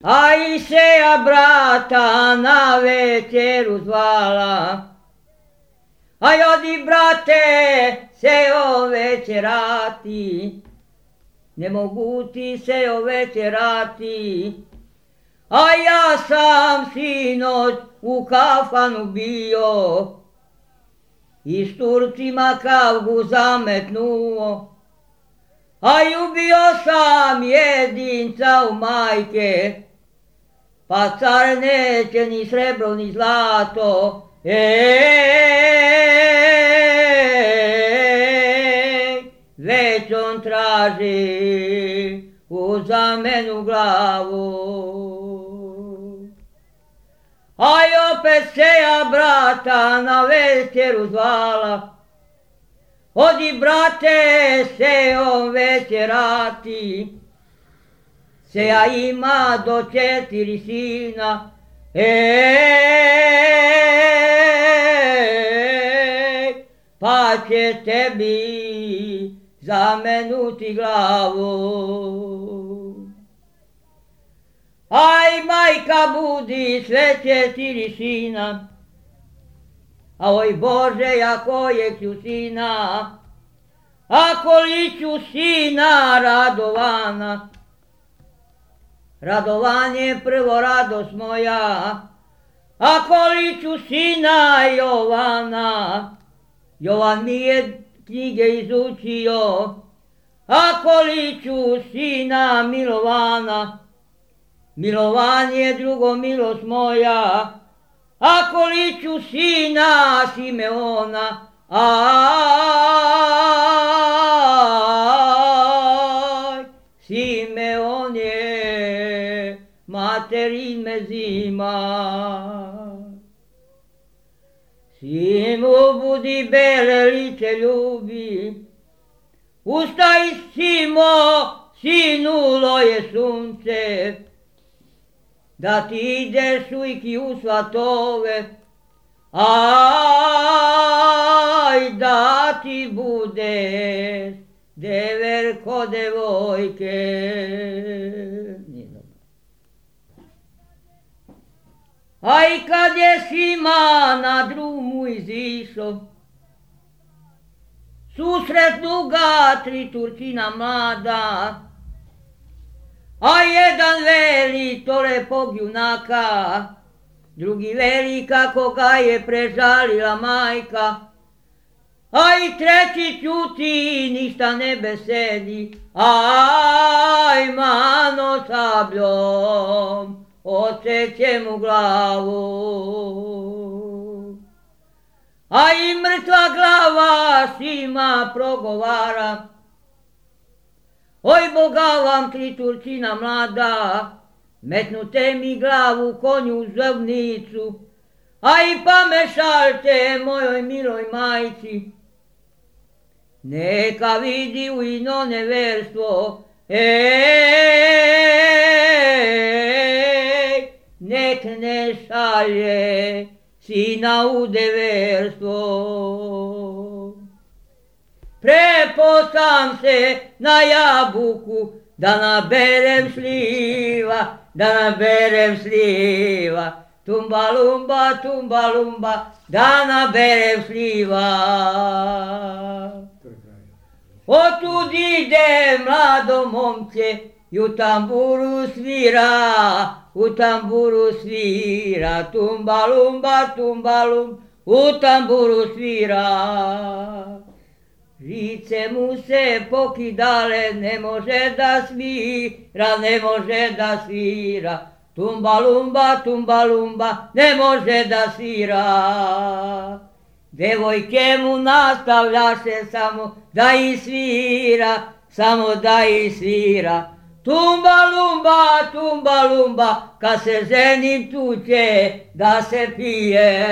A i seja brata na večeru zvala, a odi brate sejo večerati, ne mogu ti sejo večerati, a ja sam sinoć u kafanu bio i s Turcima kavgu zametnuo, a ljubio sam jedinca u majke, pa car neće ni srebro ni zlato, već on traži u zamenu glavu. Aj opet seja brata na večeru zvala, odi brate sejom večerati, seja ima do 4 sina, pa će tebi zamenuti glavu. Aj majka budi sve 4 sina, a oj Bože ja kojeg ću sina, ako li ću sina Radovana. Radovan je prvo radost moja, ako li ću sina Jovana. Jovan mi je knjige izučio, ako li ću sina Milovana. Milovan je drugo milost moja, ako li ću sina Simeona. Aj, Simeon je materin me zima. Simo budi bele lice ljubi, ustaj Simo, sinulo je sunce, da ti ideš ujki u svatove, aj da ti budeš deverko devojke. Aj kad je Sima na drumu izišo, susretnu ga 3 Turčina mlada, a jedan veli to lepog junaka, drugi veli kako ga je prežalila majka, a i treći ćuti ništa ne besedi, aj mano sabljom odseće mu glavu. A i mrtva glava Sima progovara, oj Boga vam 3 Turčina mlada, metnute mi glavu konju u zovnicu, a i pamešalte mojoj miloj majci. Neka vidi u ino neverstvo, nek ne šalje sina u deverstvo. Prepo sam se na jabuku da naberem šljiva, tumba lumba, da naberem šljiva. Otud ide mlado momče i u tamburu svira, tumba lumba, u tamburu svira. Žice mu se pokidale, ne može da svira, tumba lumba, ne može da svira. Devojke mu nastavljaše samo da ih svira, tumba lumba, kad se ženim tu će da se pije.